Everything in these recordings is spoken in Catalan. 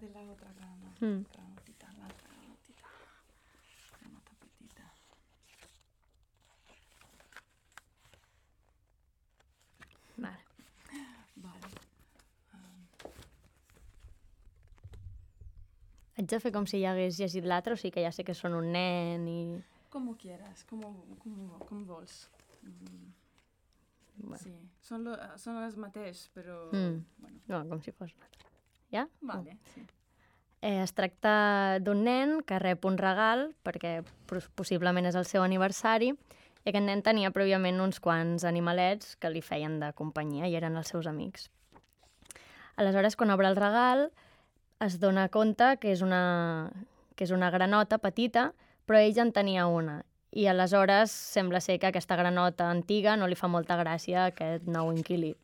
de la otra granotita, l'altra granotita. Granota petita. Vale. Haig de fer com si ja hagués llegit l'altre, o sigui que ja sé que són un nen i... Como quieras, com vols. Bueno. Sí, són els mateixos, però... Bueno. No, com si fos un altre. Ja? Vale, sí. Es tracta d'un nen que rep un regal, perquè possiblement és el seu aniversari, i aquest nen tenia prèviament uns quants animalets que li feien de companyia i eren els seus amics. Aleshores, quan obre el regal, es dona compte que és una granota petita, però ell en tenia una. I aleshores sembla ser que aquesta granota antiga no li fa molta gràcia a aquest nou inquilí.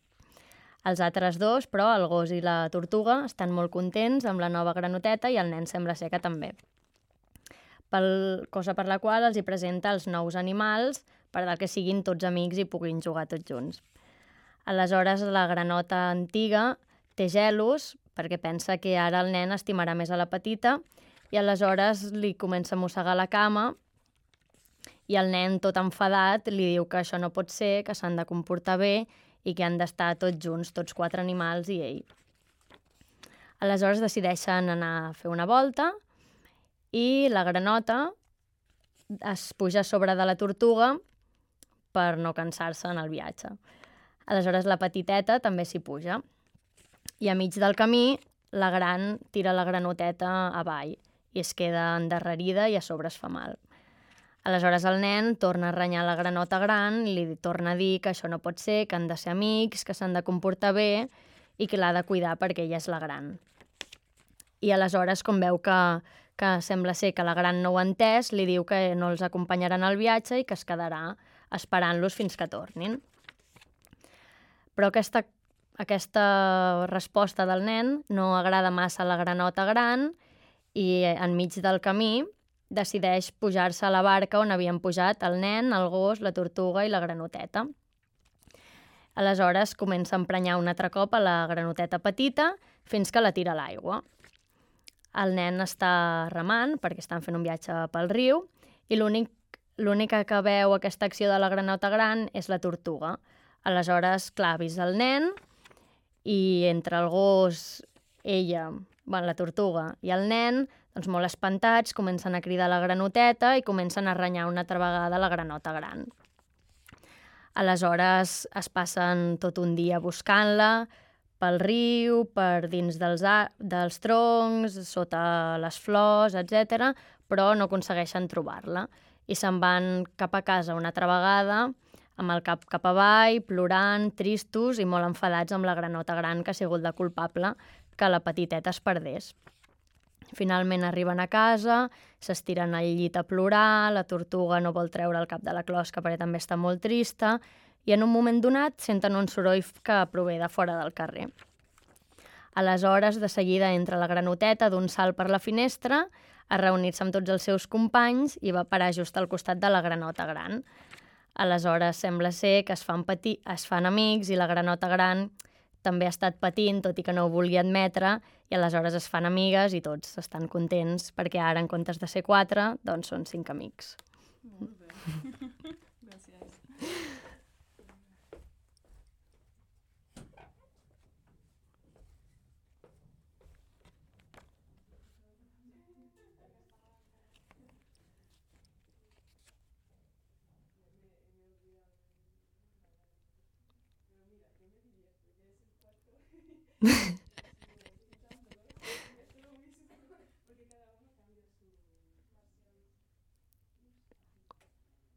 Els altres dos, però, el gos i la tortuga, estan molt contents amb la nova granoteta i el nen sembla ser que també. Cosa per la qual els hi presenta els nous animals per tal que siguin tots amics i puguin jugar tots junts. Aleshores, la granota antiga té gelos perquè pensa que ara el nen estimarà més a la petita i aleshores li comença a mossegar la cama i el nen, tot enfadat, li diu que això no pot ser, que s'han de comportar bé i que han d'estar tots junts, tots 4 animals i ell. Aleshores decideixen anar a fer una volta i la granota es puja a sobre de la tortuga per no cansar-se en el viatge. Aleshores la petiteta també s'hi puja. I a mig del camí la gran tira la granoteta avall i es queda endarrerida i a sobre es fa mal. Aleshores el nen torna a renyar la granota gran i li torna a dir que això no pot ser, que han de ser amics, que s'han de comportar bé i que l'ha de cuidar perquè ella és la gran. I aleshores, com veu que sembla ser que la gran no ho ha entès, li diu que no els acompanyaran al viatge i que es quedarà esperant-los fins que tornin. Però aquesta resposta del nen no agrada massa a la granota gran i enmig del camí decideix pujar-se a la barca on havien pujat el nen, el gos, la tortuga i la granoteta. Aleshores comença a emprenyar un altre cop a la granoteta petita fins que la tira a l'aigua. El nen està remant perquè estan fent un viatge pel riu i l'única que veu aquesta acció de la granota gran és la tortuga. Aleshores, clar, avisa el nen i entre el gos, la tortuga i el nen, doncs molt espantats, comencen a cridar la granoteta i comencen a renyar una altra vegada la granota gran. Aleshores es passen tot un dia buscant-la pel riu, per dins dels troncs, sota les flors, etc., però no aconsegueixen trobar-la. I se'n van cap a casa una altra vegada, amb el cap avall, plorant, tristos i molt enfadats amb la granota gran que ha sigut la culpable que la petiteta es perdés. Finalment arriben a casa, s'estiren al llit a plorar, la tortuga no vol treure el cap de la closca perquè també està molt trista i en un moment donat senten un soroll que prové de fora del carrer. Aleshores, de seguida entra la granoteta d'un salt per la finestra a reunir-se amb tots els seus companys i va parar just al costat de la granota gran. Aleshores sembla ser que es fan amics i la granota gran també ha estat patint, tot i que no ho vulgui admetre, i aleshores es fan amigues i tots estan contents perquè ara, en comptes de ser 4, doncs són 5 amics. Molt bé. Gràcies.